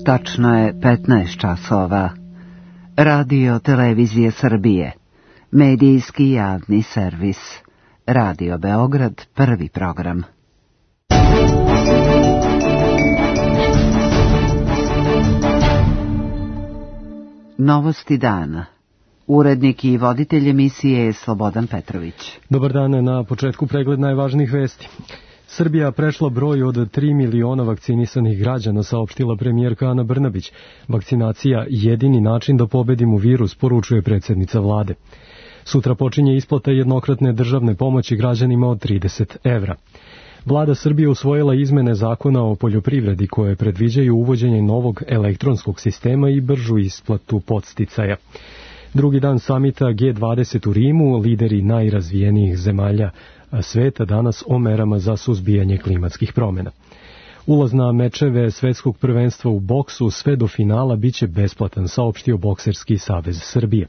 Tačno je 15 časova. Radio Televizije Srbije. Medijski javni servis. Radio Beograd, prvi program. Novosti dana. Urednik i voditelj emisije je Slobodan Petrović. Dobar dan, na početku pregled najvažnijih vesti. Srbija prešla broj od 3 miliona vakcinisanih građana, saopštila premijerka Ana Brnabić. Vakcinacija jedini način da pobedimo virus, poručuje predsjednica vlade. Sutra počinje isplata jednokratne državne pomoći građanima od 30 evra. Vlada Srbije usvojila izmene zakona o poljoprivredi koje predviđaju uvođenje novog elektronskog sistema i bržu isplatu podsticaja. Drugi dan samita G20 u Rimu, lideri najrazvijenijih zemalja sveta danas o merama za suzbijanje klimatskih promjena. Ulaz na mečeve svetskog prvenstva u boksu sve do finala biće besplatan, saopštio Bokserski savez Srbije.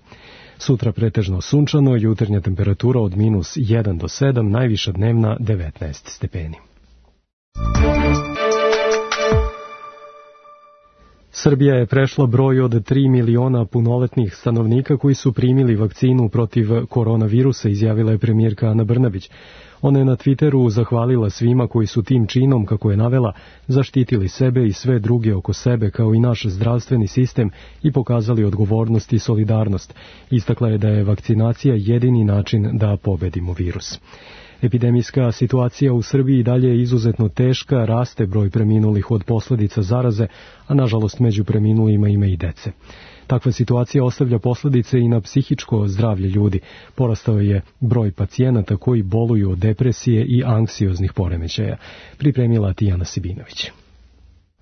Sutra pretežno sunčano, jutarnja temperatura od -1 do 7, najviša dnevna 19 stepeni. Srbija je prešla broj od 3 miliona punoletnih stanovnika koji su primili vakcinu protiv koronavirusa, izjavila je premijerka Ana Brnabić. Ona je na Twitteru zahvalila svima koji su tim činom, kako je navela, zaštitili sebe i sve druge oko sebe, kao i naš zdravstveni sistem, i pokazali odgovornost i solidarnost. Istakla je da je vakcinacija jedini način da pobedimo virus. Epidemijska situacija u Srbiji dalje je izuzetno teška, raste broj preminulih od posljedica zaraze, a nažalost među preminulima ima i dece. Takva situacija ostavlja posljedice i na psihičko zdravlje ljudi. Porastao je broj pacijenata koji boluju od depresije i anksioznih poremećaja, pripremila Tijana Sibinović.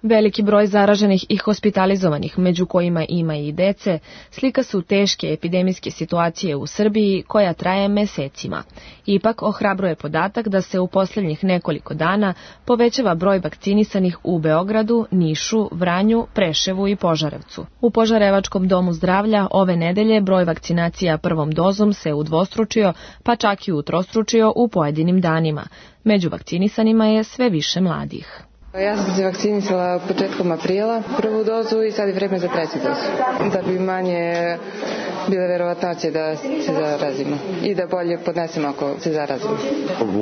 Veliki broj zaraženih i hospitalizovanih, među kojima ima i dece, slika su teške epidemijske situacije u Srbiji koja traje mesecima. Ipak ohrabruje podatak da se u posljednjih nekoliko dana povećava broj vakcinisanih u Beogradu, Nišu, Vranju, Preševu i Požarevcu. U Požarevačkom domu zdravlja ove nedelje broj vakcinacija prvom dozom se udvostručio, pa čak i utrostručio u pojedinim danima. Među vakcinisanima je sve više mladih. Ja sam se vakcinisala početkom aprila, prvu dozu, i sad je vreme za treću dozu. Da bi manje bile verovatnoće da se zarazimo i da bolje podnesemo ako se zarazimo.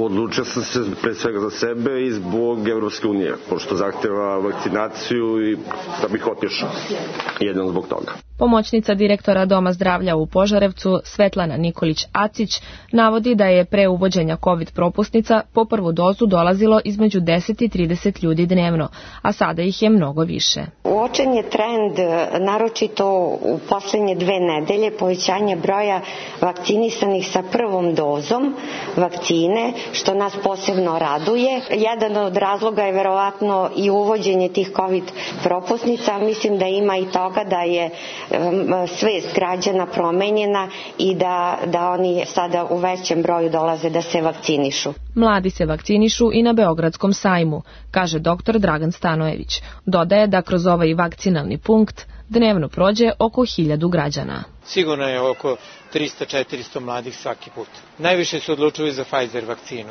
Odlučio sam se pre svega za sebe i zbog Evropske unije, pošto zahteva vakcinaciju i da bih otišao. Jedino zbog toga. Pomoćnica direktora Doma zdravlja u Požarevcu, Svetlana Nikolić-Acić, navodi da je pre uvođenja COVID propusnica po prvu dozu dolazilo između 10 i 30 ljudi dnevno, a sada ih je mnogo više. Uočen je trend, naročito u posljednje 2 nedelje, povećanje broja vakcinisanih sa prvom dozom vakcine, što nas posebno raduje. Jedan od razloga je verovatno i uvođenje tih COVID propusnica. Mislim da ima i toga da je svest građana promenjena i da oni sada u većem broju dolaze da se vakcinišu. Mladi se vakcinišu i na Beogradskom sajmu, kaže dr. Dragan Stanojević. Dodaje da kroz ovaj vakcinalni punkt dnevno prođe oko 1000 građana. Sigurno je oko 300-400 mladih svaki put. Najviše se odlučuju za Pfizer vakcinu.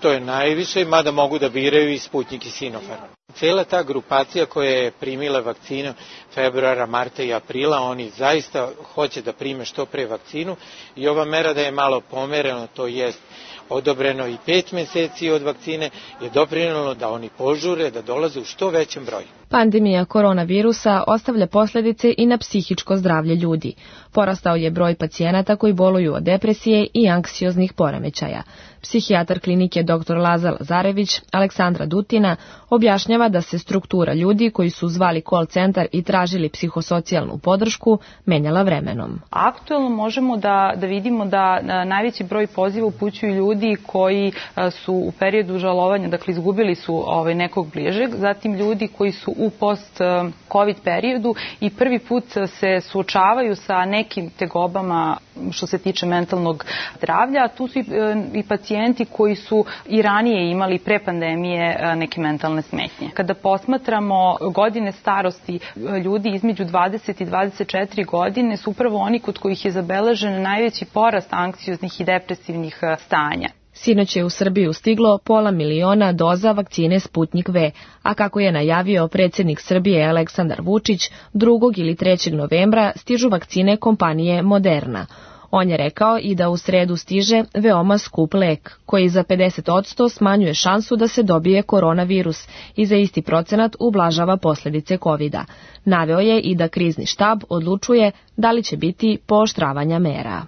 To je najviše, mada mogu da biraju i Sputnik i Sinopharm. Cijela ta grupacija koja je primila vakcinu februara, marta i aprila, oni zaista hoće da prime što pre vakcinu i ova mera da je malo pomereno, to jest odobreno i 5 meseci od vakcine, je doprinelo da oni požure, da dolaze u što većem broju. Pandemija koronavirusa ostavlja posljedice i na psihičko zdravlje ljudi. Porastao je broj pacijenata koji boluju od depresije i anksioznih poremećaja. Psihijatar klinike dr. Lazar Lazarević, Aleksandra Dutina, objašnjava da se struktura ljudi koji su zvali call centar i tražili psihosocijalnu podršku menjala vremenom. Aktuelno možemo da vidimo da najveći broj poziva upućuju ljudi koji su u periodu žalovanja, dakle izgubili su nekog bližeg, zatim ljudi koji su u post-COVID periodu i prvi put se suočavaju sa nekim tegobama što se tiče mentalnog zdravlja, a tu su i pacijenti koji su i ranije imali pre pandemije neke mentalne smetnje. Kada posmatramo godine starosti ljudi između 20 i 24 godine su upravo oni kod kojih je zabeležen najveći porast anksioznih i depresivnih stanja. Sinoć je u Srbiju stiglo 500 000 doza vakcine Sputnik V, a kako je najavio predsjednik Srbije Aleksandar Vučić, 2. ili 3. novembra stižu vakcine kompanije Moderna. On je rekao i da u sredu stiže veoma skup lek, koji za 50% smanjuje šansu da se dobije koronavirus i za isti procenat ublažava posljedice COVID-a. Naveo je i da krizni štab odlučuje da li će biti pooštravanja mera.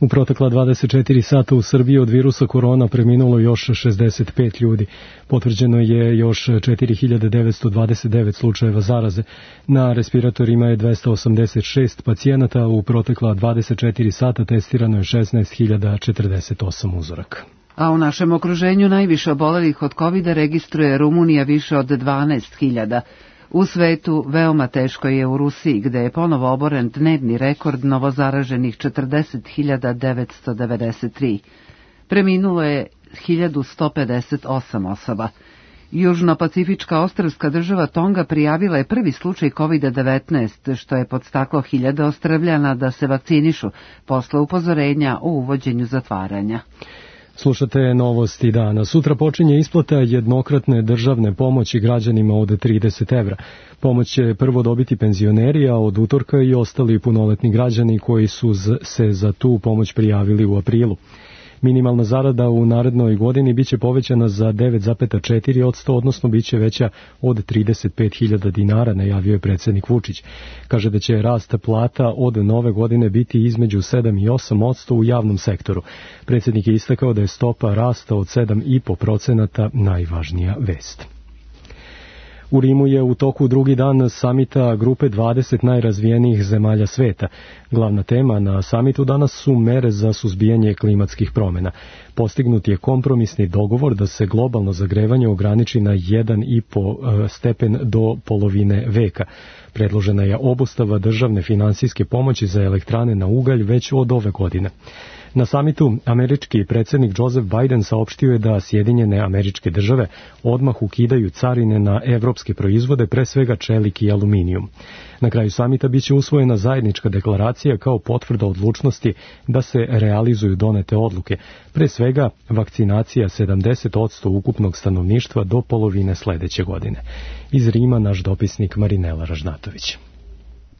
U protekla 24 sata u Srbiji od virusa korona preminulo još 65 ljudi. Potvrđeno je još 4929 slučajeva zaraze. Na respiratorima je 286 pacijenata. U protekla 24 sata testirano je 16.048 uzoraka. A u našem okruženju najviše obolelih od COVID-a registruje Rumunija, više od 12.000. U svetu veoma teško je u Rusiji, gde je ponovo oboren dnevni rekord novozaraženih 40.993. Preminulo je 1158 osoba. Južno-pacifička ostrvska država Tonga prijavila je prvi slučaj COVID-19, što je podstaklo hiljade Ostrvljana da se vakcinišu posle upozorenja o uvođenju zatvaranja. Slušate novosti dana. Sutra počinje isplata jednokratne državne pomoći građanima od 30 evra. Pomoć će prvo dobiti penzioneri, a od utorka i ostali punoletni građani koji su se za tu pomoć prijavili u aprilu. Minimalna zarada u narednoj godini biće povećana za 9,4%, odnosno biće veća od 35.000 dinara, najavio je predsjednik Vučić. Kaže da će rast plata od nove godine biti između 7 i 8% u javnom sektoru. Predsjednik je istakao da je stopa rasta od 7,5% najvažnija vest. U Rimu je u toku drugi dan samita grupe 20 najrazvijenijih zemalja sveta. Glavna tema na samitu danas su mere za suzbijanje klimatskih promjena. Postignut je kompromisni dogovor da se globalno zagrevanje ograniči na 1,5 stepen do polovine veka. Predložena je obustava državne finansijske pomoći za elektrane na ugalj već od ove godine. Na samitu američki predsjednik Joseph Biden saopštio je da Sjedinjene Američke Države odmah ukidaju carine na evropske proizvode, pre svega čelik i aluminijum. Na kraju samita biće usvojena zajednička deklaracija kao potvrda odlučnosti da se realizuju donete odluke, pre svega vakcinacija 70% ukupnog stanovništva do polovine sledeće godine. Iz Rima naš dopisnik Marinela Ražnatović.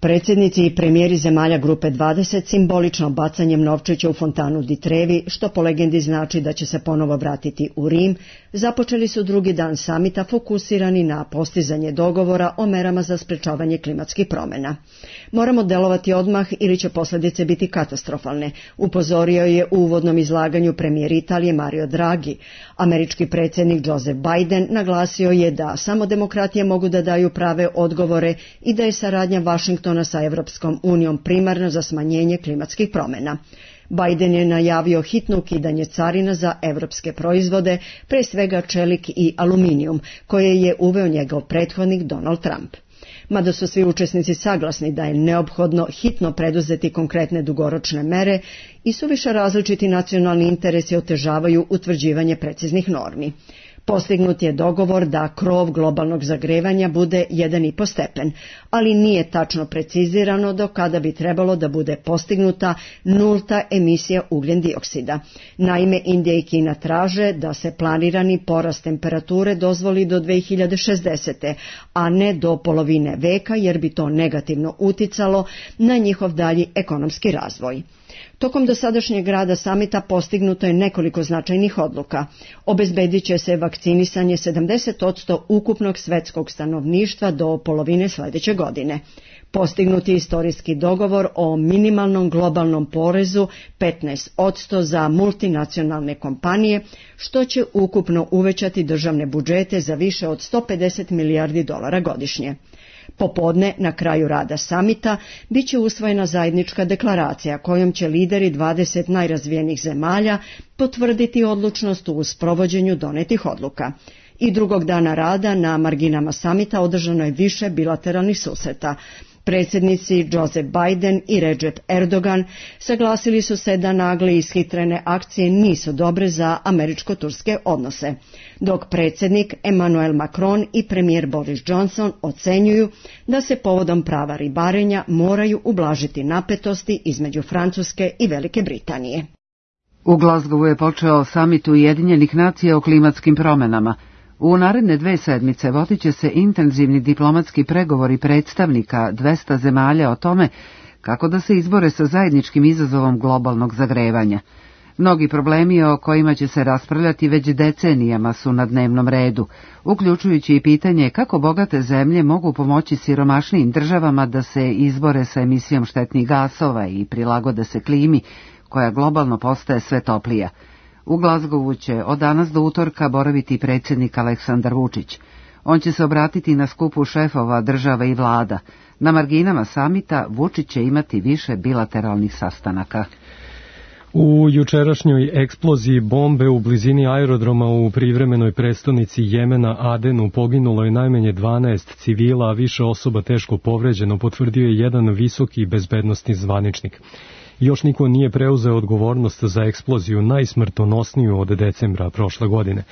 Predsjednici i premijeri zemalja grupe 20 simbolično bacanjem novčića u fontanu di Trevi, što po legendi znači da će se ponovo vratiti u Rim, započeli su drugi dan samita fokusirani na postizanje dogovora o merama za sprečavanje klimatskih promjena. Moramo delovati odmah ili će posljedice biti katastrofalne, upozorio je u uvodnom izlaganju premijer Italije Mario Draghi. Američki predsjednik Joseph Biden naglasio je da samo demokratije mogu da daju prave odgovore i da je saradnja Vašingtona sa Evropskom unijom primarno za smanjenje klimatskih promjena. Biden je najavio hitno ukidanje carina za evropske proizvode, pre svega čelik i aluminijum, koje je uveo njegov prethodnik Donald Trump. Mada su svi učesnici saglasni da je neophodno hitno preduzeti konkretne dugoročne mere i suviše različiti nacionalni interesi otežavaju utvrđivanje preciznih normi. Postignut je dogovor da krov globalnog zagrevanja bude 1,5 stepen, ali nije tačno precizirano do kada bi trebalo da bude postignuta nulta emisija ugljen dioksida. Naime, Indija i Kina traže da se planirani porast temperature dozvoli do 2060. a ne do polovine veka, jer bi to negativno uticalo na njihov dalji ekonomski razvoj. Tokom dosadašnjeg rada samita postignuto je nekoliko značajnih odluka. Obezbedit će se vakcinisanje 70% ukupnog svetskog stanovništva do polovine sledeće godine. Postignut je istorijski dogovor o minimalnom globalnom porezu 15% za multinacionalne kompanije, što će ukupno uvećati državne budžete za više od $150 milijardi godišnje. Popodne, na kraju rada samita, bit će usvojena zajednička deklaracija kojom će lideri 20 najrazvijenijih zemalja potvrditi odlučnost u sprovođenju donetih odluka. I drugog dana rada na marginama samita održano je više bilateralnih susreta. Predsjednici Joseph Biden i Recep Erdogan saglasili su se da nagle ishitrene akcije nisu dobre za američko-turske odnose, dok predsjednik Emmanuel Macron i premijer Boris Johnson ocenjuju da se povodom prava ribarenja moraju ublažiti napetosti između Francuske i Velike Britanije. U Glasgowu je počeo samit Ujedinjenih nacija o klimatskim promjenama. U naredne 2 sedmice vodit će se intenzivni diplomatski pregovori predstavnika 200 zemalja o tome kako da se izbore sa zajedničkim izazovom globalnog zagrevanja. Mnogi problemi o kojima će se raspravljati već decenijama su na dnevnom redu, uključujući i pitanje kako bogate zemlje mogu pomoći siromašnijim državama da se izbore sa emisijom štetnih gasova i prilagode se klimi, koja globalno postaje sve toplija. U Glasgowu će od danas do utorka boraviti predsjednik Aleksandar Vučić. On će se obratiti na skupu šefova država i vlada. Na marginama samita Vučić će imati više bilateralnih sastanaka. U jučerašnjoj eksploziji bombe u blizini aerodroma u privremenoj prestonici Jemena Adenu poginulo je najmanje 12 civila, a više osoba teško povređeno, potvrdio je jedan visoki bezbednosni zvaničnik. Još niko nije preuzeo odgovornost za eksploziju najsmrtonosniju od decembra prošle godine.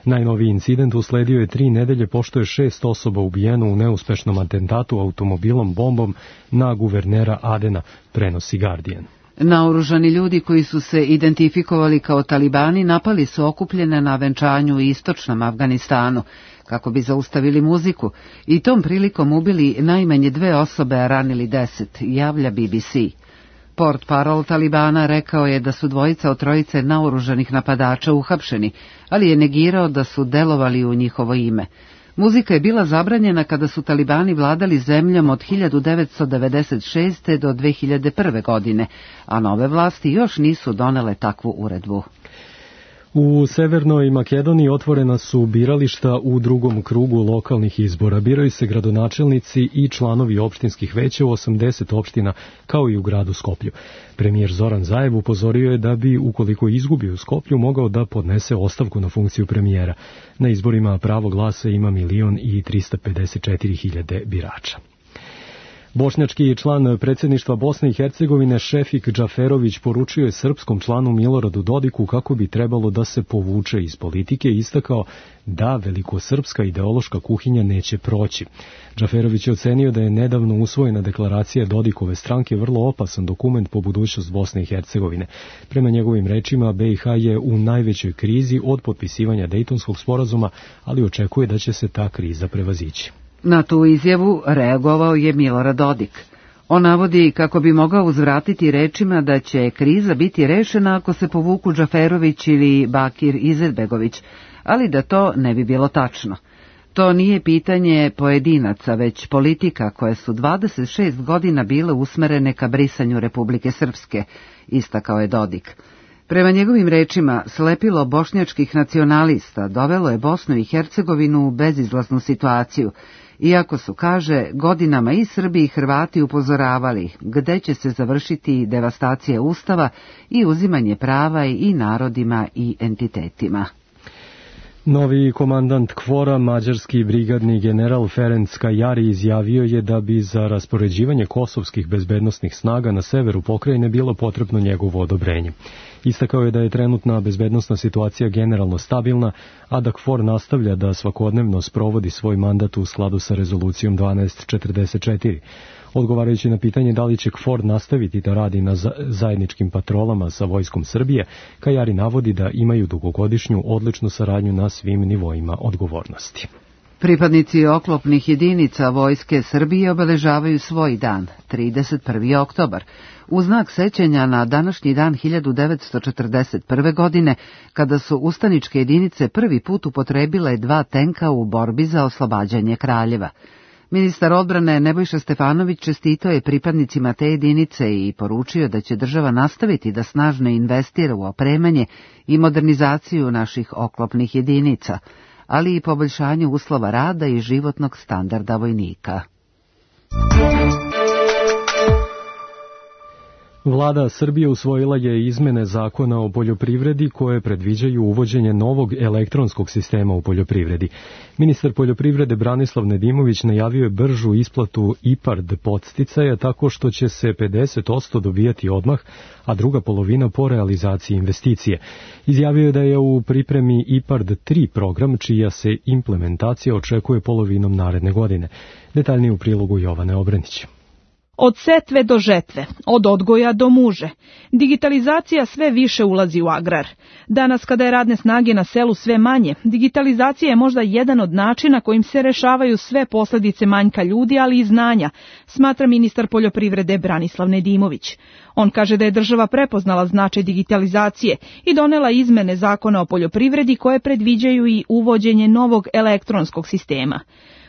Najnoviji incident usledio je 3 nedelje pošto je 6 osoba ubijeno u neuspešnom atentatu automobilom bombom na guvernera Adena, prenosi Guardian. Naoružani ljudi koji su se identifikovali kao talibani napali su okupljene na venčanju u istočnom Afganistanu kako bi zaustavili muziku i tom prilikom ubili najmanje 2 osobe, a ranili 10, javlja BBC. Portparol Talibana rekao je da su 2 od 3 naoružanih napadača uhapšeni, ali je negirao da su delovali u njihovo ime. Muzika je bila zabranjena kada su talibani vladali zemljom od 1996. do 2001. godine, a nove vlasti još nisu donele takvu uredbu. U Severnoj Makedoniji otvorena su birališta u drugom krugu lokalnih izbora. Biraju se gradonačelnici i članovi opštinskih veća u 80 opština, kao i u gradu Skoplju. Premijer Zoran Zaev upozorio je da bi, ukoliko izgubi u Skoplju, mogao da podnese ostavku na funkciju premijera. Na izborima pravo glasa ima 1.354.000 birača. Bošnjački član predsjedništva Bosne i Hercegovine Šefik Džaferović poručio je srpskom članu Miloradu Dodiku kako bi trebalo da se povuče iz politike i istakao da velikosrpska ideološka kuhinja neće proći. Džaferović je ocenio da je nedavno usvojena deklaracija Dodikove stranke vrlo opasan dokument po budućnost Bosne i Hercegovine. Prema njegovim rečima, BiH je u najvećoj krizi od potpisivanja Dejtonskog sporazuma, ali očekuje da će se ta kriza prevazići. Na tu izjavu reagovao je Milorad Dodik. On navodi kako bi mogao uzvratiti rečima da će kriza biti rešena ako se povuku Džaferović ili Bakir Izetbegović, ali da to ne bi bilo tačno. To nije pitanje pojedinaca, već politika koje su 26 godina bile usmerene ka brisanju Republike Srpske, istakao je Dodik. Prema njegovim rečima, slepilo bošnjačkih nacionalista dovelo je Bosnu i Hercegovinu u bezizlaznu situaciju, iako su, kaže, godinama i Srbi i Hrvati upozoravali gde će se završiti devastacija Ustava i uzimanje prava i narodima i entitetima. Novi komandant KFOR-a, mađarski brigadni general Ferenc Kajari, izjavio je da bi za raspoređivanje kosovskih bezbednosnih snaga na severu pokrajine bilo potrebno njegovo odobrenje. Istakao je da je trenutna bezbednosna situacija generalno stabilna, a da KFOR nastavlja da svakodnevno sprovodi svoj mandat u skladu sa rezolucijom 1244. Odgovarajući na pitanje da li će KFOR nastaviti da radi na zajedničkim patrolama sa vojskom Srbije, Kajari navodi da imaju dugogodišnju odličnu saradnju na svim nivoima odgovornosti. Pripadnici oklopnih jedinica Vojske Srbije obeležavaju svoj dan, 31. oktobar, u znak sećanja na današnji dan 1941. godine, kada su ustaničke jedinice prvi put upotrebile 2 tenka u borbi za oslobađanje Kraljeva. Ministar odbrane Nebojša Stefanović čestitao je pripadnicima te jedinice i poručio da će država nastaviti da snažno investira u opremanje i modernizaciju naših oklopnih jedinica, ali i poboljšanju uslova rada i životnog standarda vojnika. Vlada Srbije usvojila je izmene zakona o poljoprivredi koje predviđaju uvođenje novog elektronskog sistema u poljoprivredi. Ministar poljoprivrede Branislav Nedimović najavio je bržu isplatu IPARD podsticaja tako što će se 50% dobijati odmah, a druga polovina po realizaciji investicije. Izjavio je da je u pripremi IPARD 3 program čija se implementacija očekuje polovinom naredne godine. Detaljnije u prilogu Jovane Obrenić. Od setve do žetve, od odgoja do muže. Digitalizacija sve više ulazi u agrar. Danas, kada je radne snage na selu sve manje, digitalizacija je možda jedan od načina kojim se rešavaju sve posljedice manjka ljudi, ali i znanja, smatra ministar poljoprivrede Branislav Nedimović. On kaže da je država prepoznala značaj digitalizacije i donela izmene zakona o poljoprivredi koje predviđaju i uvođenje novog elektronskog sistema.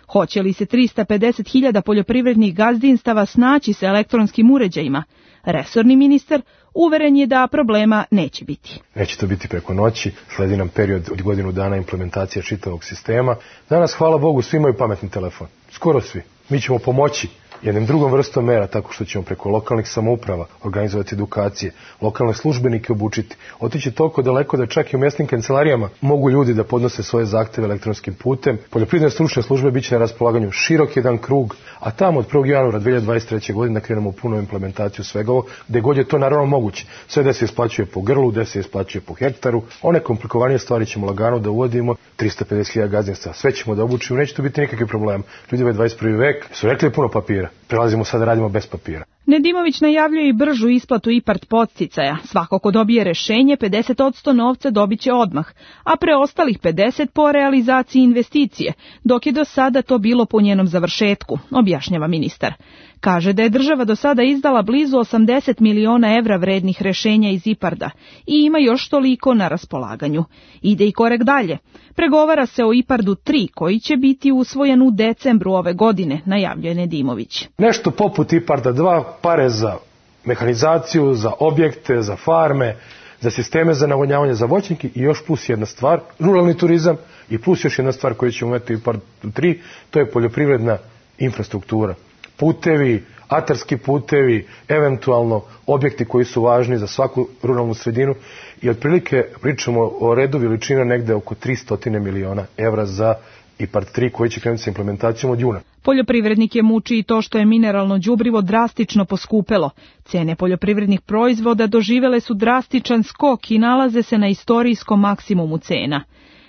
Hoće li se 350.000 poljoprivrednih gazdinstava snaći sa elektronskim uređajima? Resorni ministar uveren je da problema neće biti. Neće to biti preko noći, sledi nam period od godinu dana implementacije čitavog sistema. Danas, hvala Bogu, svi imaju pametni telefon. Skoro svi. Mi ćemo pomoći jednim drugom vrstom mera, tako što ćemo preko lokalnih samouprava organizovati edukacije, lokalne službenike obučiti, otići toliko daleko da čak i u mjesnim kancelarijama mogu ljudi da podnose svoje zahteve elektronskim putem. Poljoprivredne stručne službe bit će na raspolaganju širok jedan krug, a tamo od 1. januara 2023. godine krenemo u punu implementaciju svega ovo, gde god je to naravno moguće. Sve da se isplaćuje po grlu, da se isplaćuje po hektaru, one komplikovanije stvari ćemo lagano da uvodimo, 350.000 gazdinstva, sve ćemo da obučimo, neće to biti nikakvi problem. Ljudi, ovaj 21. vek su rekli puno papira. Prelazimo sad da radimo bez papira. Nedimović najavljuje i bržu isplatu IPARD podsticaja. Svako ko dobije rešenje, 50% novca dobit će odmah, a preostalih 50% po realizaciji investicije, dok je do sada to bilo po njenom završetku, objašnjava ministar. Kaže da je država do sada izdala blizu 80 miliona evra vrednih rešenja iz IPARD-a i ima još toliko na raspolaganju. Ide i korek dalje. Pregovara se o IPARD-u 3 koji će biti usvojen u decembru ove godine, najavljuje Nedimović. Nešto poput IPARD-a 2, pare za mehanizaciju, za objekte, za farme, za sisteme za navodnjavanje, za voćnike i još plus jedna stvar, ruralni turizam i plus još jedna stvar koju ćemo imati u IPARD-u 3, to je poljoprivredna infrastruktura. Putevi, atarski putevi, eventualno objekti koji su važni za svaku ruralnu sredinu i otprilike pričamo o redu veličina negde oko 300 miliona evra za IPARD 3 koji će krenuti sa implementacijom od juna. Poljoprivrednike muči i to što je mineralno đubrivo drastično poskupelo. Cene poljoprivrednih proizvoda doživele su drastičan skok i nalaze se na istorijskom maksimumu cena.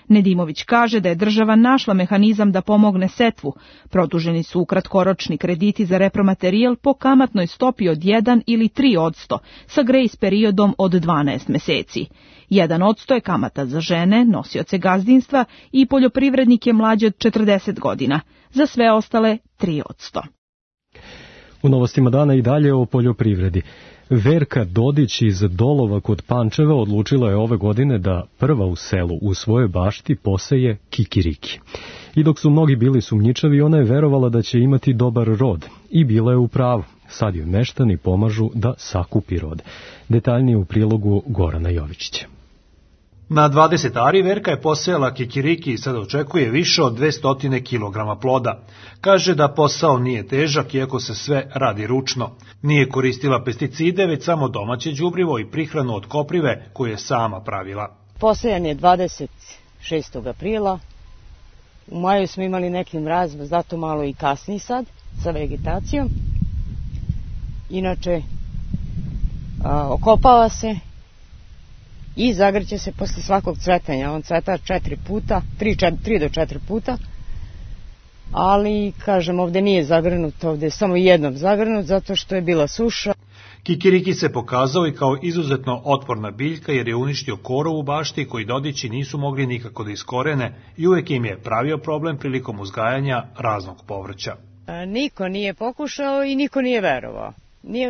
Nedimović kaže da je država našla mehanizam da pomogne setvu. Produženi su kratkoročni krediti za repromaterijal po kamatnoj stopi od 1 ili 3% sa grejs periodom od 12 meseci. 1% je kamata za žene, nosioce gazdinstva i poljoprivrednike mlađe od 40 godina. Za sve ostale 3%. U novostima dana i dalje o poljoprivredi. Verka Dodić iz Dolova kod Pančeva odlučila je ove godine da prva u selu u svojoj bašti poseje kikiriki. I dok su mnogi bili sumnjičavi, ona je verovala da će imati dobar rod. I bila je u pravu. Sad joj meštani pomažu da sakupi rod. Detaljnije u prilogu Gorana Jovičića. Na 20 ari Verka je posejala kikiriki i sad očekuje više od 200 kg ploda. Kaže da posao nije težak iako se sve radi ručno. Nije koristila pesticide, već samo domaće đubrivo i prihranu od koprive koju je sama pravila. Posejan je 26. aprila. U maju smo imali neki mraz, zato malo i kasni sad sa vegetacijom. Inače, okopava se i zagrće se posle svakog cvetanja. On cveta 4 puta, 3 do 4 puta, ali, kažem, ovde nije zagrnut, ovde je samo jednom zagrnut, zato što je bila suša. Kikiriki se pokazao i kao izuzetno otporna biljka jer je uništio korov u bašti koji Dodići nisu mogli nikako da iskorene i uvek im je pravio problem prilikom uzgajanja raznog povrća. Niko nije pokušao i niko nije verovao.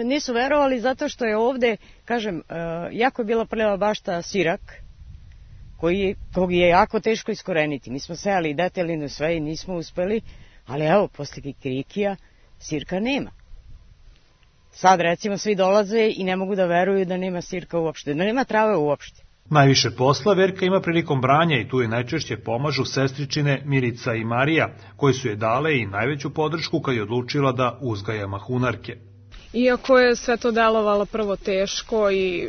Nisu verovali zato što je ovde, kažem, jako je bila prljava bašta sirak, kog je jako teško iskoreniti. Mi smo sejali detelinu sve i nismo uspeli, ali evo, posle kikirikija sirka nema. Sad recimo svi dolaze i ne mogu da veruju da nema sirka uopšte, da nema trave uopšte. Najviše posla Verka ima prilikom branja i tu je najčešće pomažu sestričine Milica i Marija, koje su je dale i najveću podršku kad je odlučila da uzgaja mahunarke. Iako je sve to delovalo prvo teško i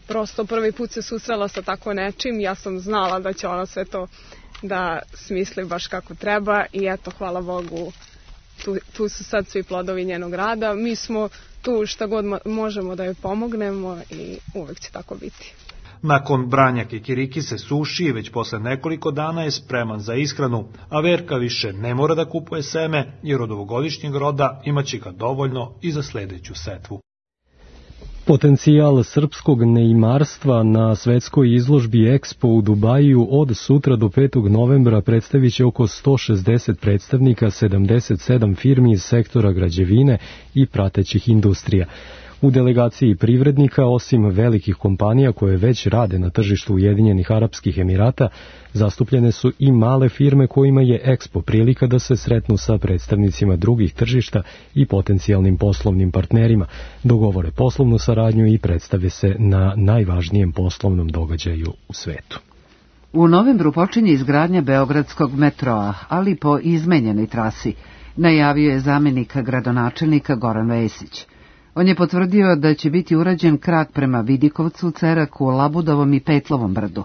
prosto prvi put se susrela sa tako nečim, ja sam znala da će ona sve to da smisli baš kako treba i eto, hvala Bogu, tu su sad svi plodovi njenog rada. Mi smo tu šta god možemo da joj pomognemo i uvek će tako biti. Nakon branja kikiriki se suši i već posle nekoliko dana je spreman za ishranu, a Verka više ne mora da kupuje seme, jer od ovogodišnjeg roda imaće ga dovoljno i za sledeću setvu. Potencijal srpskog neimarstva na svetskoj izložbi Expo u Dubaju od sutra do 5. novembra predstavit će oko 160 predstavnika 77 firmi iz sektora građevine i pratećih industrija. U delegaciji privrednika, osim velikih kompanija koje već rade na tržištu Ujedinjenih Arapskih Emirata, zastupljene su i male firme kojima je Expo prilika da se sretnu sa predstavnicima drugih tržišta i potencijalnim poslovnim partnerima, dogovore poslovnu saradnju i predstave se na najvažnijem poslovnom događaju u svetu. U novembru počinje izgradnja Beogradskog metroa, ali po izmenjenoj trasi, najavio je zamjenik gradonačelnika Goran Vesić. On je potvrdio da će biti urađen krak prema Vidikovcu, Ceraku, Labudovom i Petlovom brdu.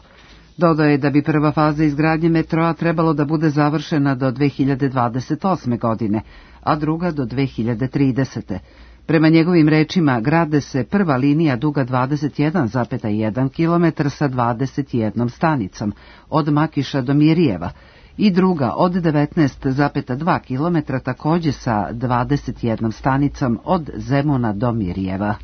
Dodao je da bi prva faza izgradnje metroa trebalo da bude završena do 2028. godine, a druga do 2030. Prema njegovim rečima, grade se prva linija duga 21,1 km sa 21 stanicom, od Makiša do Mirijeva, i druga od 19,2 km takođe sa 21 stanicom od Zemuna do Mirijeva.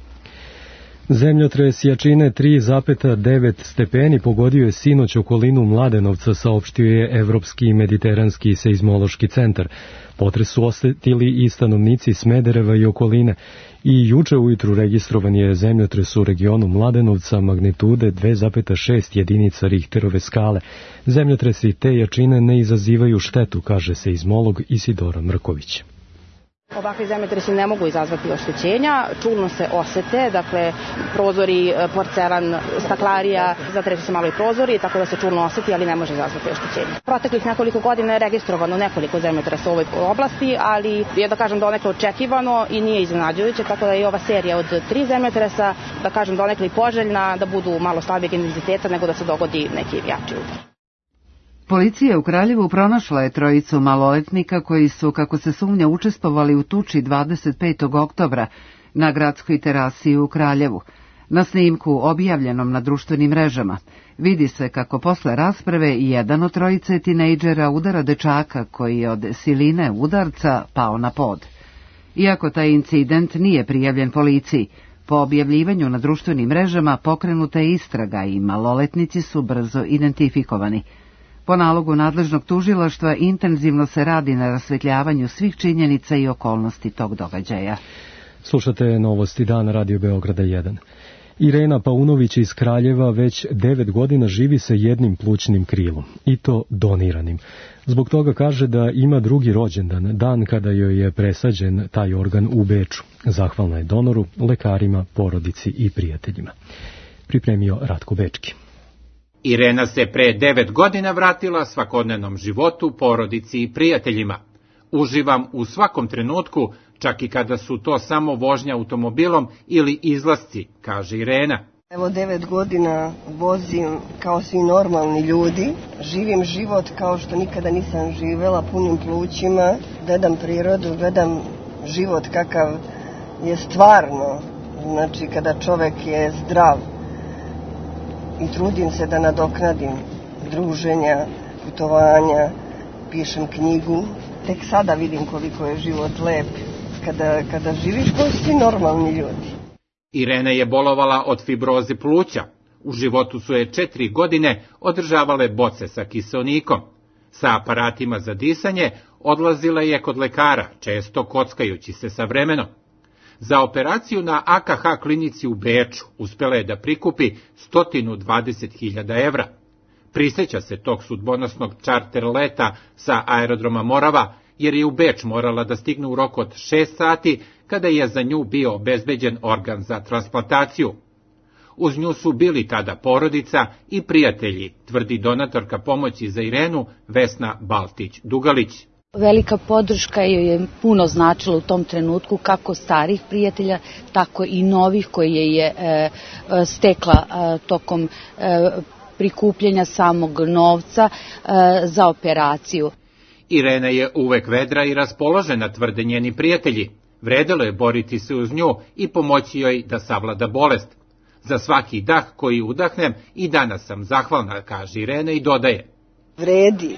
Zemljotres jačine 3,9 stepeni pogodio je sinoć okolinu Mladenovca, saopštio je Evropski i Mediteranski seizmološki centar. Potres su osetili i stanovnici Smedereva i okoline. I juče ujutru registrovan je zemljotres u regionu Mladenovca magnitude 2,6 jedinica Richterove skale. Zemljotresi te jačine ne izazivaju štetu, kaže seizmolog Isidora Mrković. Ovakvi zemljotresi ne mogu izazvati oštećenja, čulno se osete, dakle prozori, porcelan, staklarija, zatresu se malo i prozori, tako da se čulno oseti, ali ne može izazvati oštećenja. Proteklih nekoliko godina je registrovano nekoliko zemljotresa u ovoj oblasti, ali je, da kažem, donekle očekivano i nije iznenađujuće, tako da je ova serija od 3 zemljotresa, da kažem, donekle poželjna, da budu malo slabijeg intenziteta nego da se dogodi neki jači udar. Policija u Kraljevu pronašla je trojicu maloletnika koji su, kako se sumnja, učestvovali u tuči 25. oktobra na gradskoj terasi u Kraljevu. Na snimku, objavljenom na društvenim mrežama, vidi se kako posle rasprave jedan od trojice tinejdžera udara dečaka koji je od siline udarca pao na pod. Iako taj incident nije prijavljen policiji, po objavljivanju na društvenim mrežama pokrenuta je istraga i maloletnici su brzo identifikovani. Po nalogu nadležnog tužilaštva intenzivno se radi na rasvetljavanju svih činjenica i okolnosti tog događaja. Slušate novosti dana Radio Beograda 1. Irena Paunović iz Kraljeva već 9 godina živi sa jednim plućnim krilom, i to doniranim. Zbog toga kaže da ima drugi rođendan, dan kada joj je presađen taj organ u Beču. Zahvalna je donoru, lekarima, porodici i prijateljima. Pripremio Ratko Bečki. Irena se pre 9 godina vratila svakodnevnom životu, porodici i prijateljima. Uživam u svakom trenutku, čak i kada su to samo vožnja automobilom ili izlasci, kaže Irena. Evo 9 godina vozim kao svi normalni ljudi, živim život kao što nikada nisam živela, punim plućima, gledam prirodu, gledam život kakav je stvarno, znači kada čovek je zdrav. I trudim se da nadoknadim druženja, putovanja, pišem knjigu. Tek sada vidim koliko je život lep kada živiš kao svi normalni ljudi. Irena je bolovala od fibroze pluća. U životu su je 4 godine održavale boce sa kiseonikom. Sa aparatima za disanje odlazila je kod lekara, često kockajući se sa vremenom. Za operaciju na AKH klinici u Beču uspela je da prikupi 120.000 evra. Prisjeća se tog sudbonosnog čarter leta sa aerodroma Morava, jer je u Beč morala da stigne u roku od 6 sati, kada je za nju bio obezbeđen organ za transplantaciju. Uz nju su bili tada porodica i prijatelji, tvrdi donatorka pomoći za Irenu Vesna Baltić-Dugalić. Velika podrška joj je puno značila u tom trenutku, kako starih prijatelja, tako i novih koje je stekla tokom prikupljanja samog novca za operaciju. Irena je uvek vedra i raspoložena, tvrde njeni prijatelji. Vredelo je boriti se uz nju i pomoći joj da savlada bolest. Za svaki dah koji udahnem i danas sam zahvalna, kaže Irena i dodaje. Vredi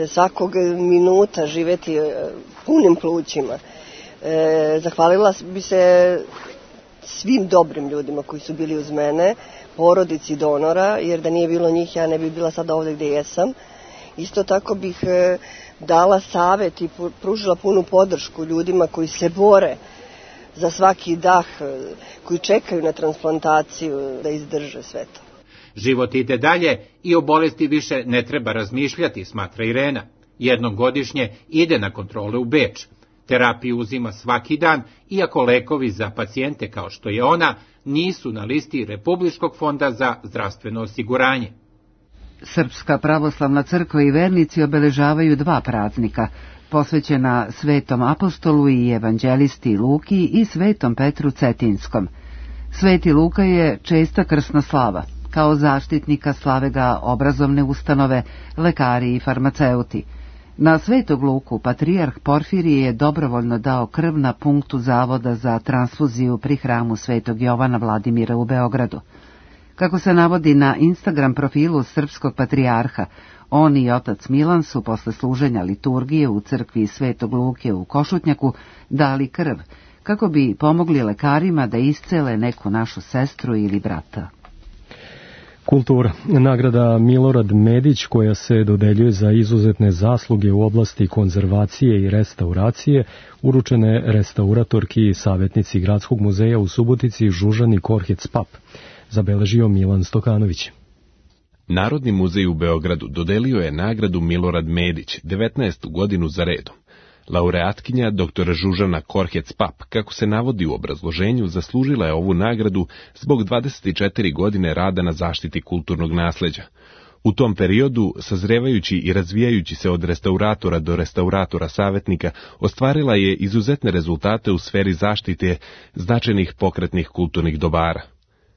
svakog minuta živeti punim plućima. Zahvalila bi se svim dobrim ljudima koji su bili uz mene, porodici donora, jer da nije bilo njih ja ne bi bila sada ovdje gdje jesam. Isto tako bih dala savjet i pružila punu podršku ljudima koji se bore za svaki dah, koji čekaju na transplantaciju da izdrže sve to. Život ide dalje i o bolesti više ne treba razmišljati, smatra Irena. Jednom godišnje ide na kontrole u Beč. Terapiju uzima svaki dan, iako lekovi za pacijente kao što je ona nisu na listi Republičkog fonda za zdravstveno osiguranje. Srpska pravoslavna crkva i vernici obeležavaju dva praznika, posvećena Svetom apostolu i evanđelisti Luki i Svetom Petru Cetinskom. Sveti Luka je česta krsna slava. Kao zaštitnika slave ga obrazovne ustanove, lekari i farmaceuti. Na Svetog Luku patrijarh Porfirije je dobrovoljno dao krv na punktu Zavoda za transfuziju pri hramu Svetog Jovana Vladimira u Beogradu. Kako se navodi na Instagram profilu srpskog patrijarha, on i otac Milan su posle služenja liturgije u crkvi Svetog Luke u Košutnjaku dali krv, kako bi pomogli lekarima da iscele neku našu sestru ili brata. Kultura. Nagrada Milorad Medić, koja se dodeljuje za izuzetne zasluge u oblasti konzervacije i restauracije, uručene restauratorki i savjetnici Gradskog muzeja u Subotici Žužani Korhec-Pap, zabeležio Milan Stokanović. Narodni muzej u Beogradu dodelio je nagradu Milorad Medić 19. godinu za redom. Laureatkinja dr. Žužana Korhec-Pap, kako se navodi u obrazloženju, zaslužila je ovu nagradu zbog 24 godine rada na zaštiti kulturnog nasleđa. U tom periodu, sazrevajući i razvijajući se od restauratora do restauratora savjetnika, ostvarila je izuzetne rezultate u sferi zaštite značajnih pokretnih kulturnih dobara.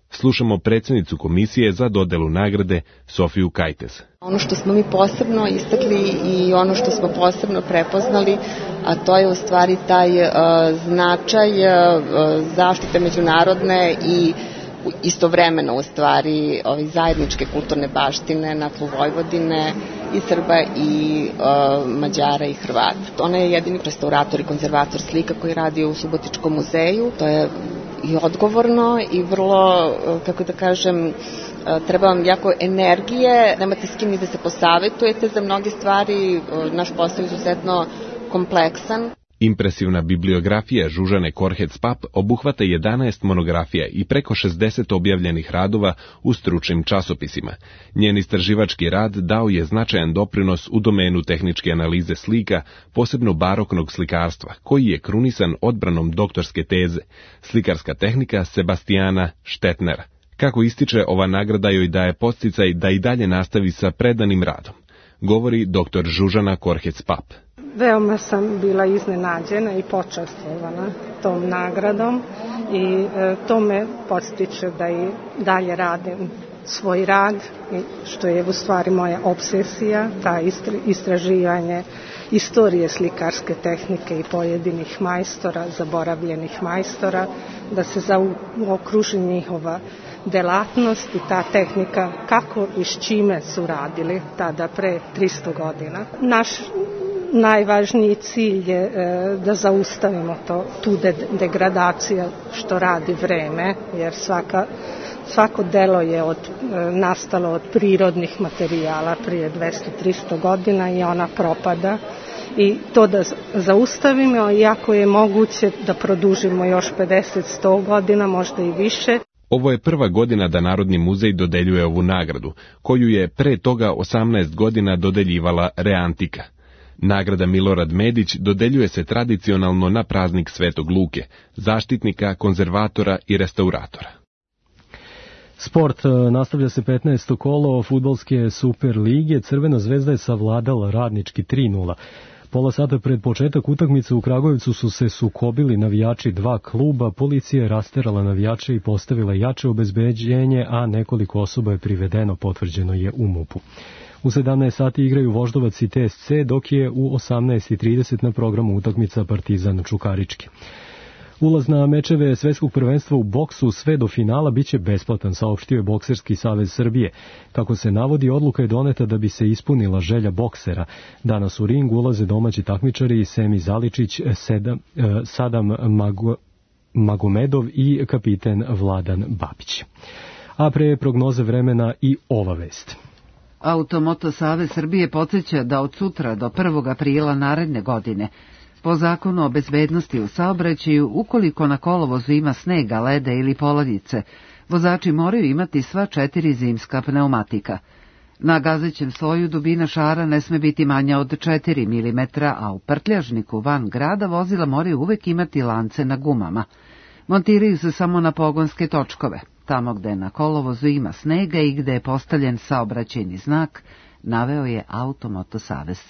Slušamo predsjednicu komisije za dodelu nagrade Sofiju Kajtes. Ono što smo mi posebno istakli i ono što smo posebno prepoznali, a to je u stvari taj značaj zaštite međunarodne i istovremeno u stvari zajedničke kulturne baštine na tlu Vojvodine i Srba i Mađara i Hrvata. Ona je jedini restaurator i konzervator slika koji radi u Subotičkom muzeju. To je i odgovorno i vrlo, kako da kažem, treba vam jako energije, nemate s kim ni da se posavetujete za mnoge stvari, naš posao je izuzetno kompleksan. Impresivna bibliografija Žužane Korhec-Pap obuhvata 11 monografija i preko 60 objavljenih radova u stručnim časopisima. Njen istraživački rad dao je značajan doprinos u domenu tehničke analize slika, posebno baroknog slikarstva, koji je krunisan odbranom doktorske teze, slikarska tehnika Sebastijana Štetnera. Kako ističe, ova nagrada joj daje podsticaj da i dalje nastavi sa predanim radom, govori dr. Žužana Korhec-Pap. Veoma sam bila iznenađena i počastvovana tom nagradom i to me podstiče da i dalje radim svoj rad, što je u stvari moja obsesija, ta istraživanje istorije slikarske tehnike i pojedinih majstora, zaboravljenih majstora, da se zaokruži njihova delatnost i ta tehnika kako i s čime su radili tada pre 300 godina. Naš najvažniji cilj je da zaustavimo tu degradaciju što radi vreme, jer svako delo je nastalo od prirodnih materijala prije 200-300 godina i ona propada. I to da zaustavimo, iako je moguće da produžimo još 50-100 godina, možda i više. Ovo je prva godina da Narodni muzej dodeljuje ovu nagradu, koju je pre toga 18 godina dodeljivala Reantika. Nagrada Milorad Medić dodeljuje se tradicionalno na praznik Svetog Luke, zaštitnika, konzervatora i restauratora. Sport. Nastavlja se 15. kolo fudbalske Super lige. Crvena zvezda je savladala Radnički 3:0. Pola sata pred početak utakmice u Kragujevcu su se sukobili navijači dva kluba, policija je rasterala navijače i postavila jače obezbeđenje, a nekoliko osoba je privedeno, potvrđeno je u MUP-u. U 17 sati igraju Voždovac i TSC, dok je u 18:30 na programu utakmica Partizan Čukarički. Ulaz na mečeve svetskog prvenstva u boksu sve do finala biće besplatan, saopštio je Bokserski savez Srbije. Kako se navodi, odluka je doneta da bi se ispunila želja boksera. Danas u ring ulaze domaći takmičari Semi Zaličić, Sadam Magomedov i kapiten Vladan Babić. A pre prognoze vremena i ova vest. Automoto savez Srbije podsjeća da od sutra do 1. aprila naredne godine po zakonu o bezbednosti u saobraćaju, ukoliko na kolovozu ima snega, leda ili poladice, vozači moraju imati sva 4 zimska pneumatika. Na gazećem sloju dubina šara ne sme biti manja od 4 mm, a u prtljažniku van grada vozila moraju uvek imati lance na gumama. Montiraju se samo na pogonske točkove, tamo gde na kolovozu ima snega i gde je postavljen saobraćajni znak, naveo je Automoto savez.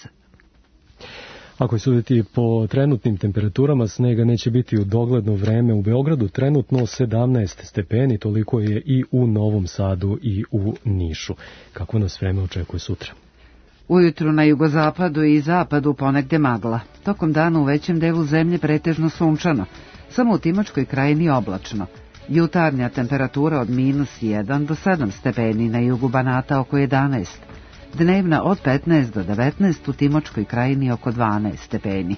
Ako je suditi po trenutnim temperaturama, snega neće biti u dogledno vreme. U Beogradu trenutno 17 stepeni, toliko je i u Novom Sadu i u Nišu. Kako nas vreme očekuje sutra? Ujutru na jugozapadu i zapadu ponegde magla. Tokom dana u većem delu zemlje pretežno sunčano, samo u Timočkoj krajini oblačno. Jutarnja temperatura od -1 do 7 stepeni, na jugu Banata oko 11. Dnevna od 15 do 19, u Timočkoj krajini oko 12 stepeni.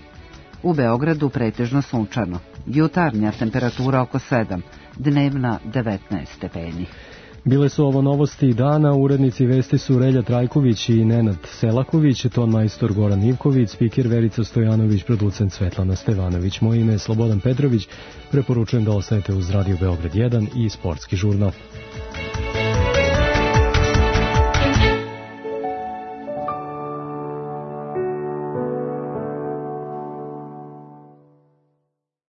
U Beogradu pretežno sunčano. Jutarnja temperatura oko 7, dnevna 19 stepeni. Bile su ovo novosti dana, urednici vesti su Relja Trajković i Nenad Selaković, ton majstor Goran Ivković, spiker Verica Stojanović, producent Svetlana Stevanović. Moje ime je Slobodan Petrović, preporučujem da ostanete uz Radio Beograd 1 i Sportski žurnal.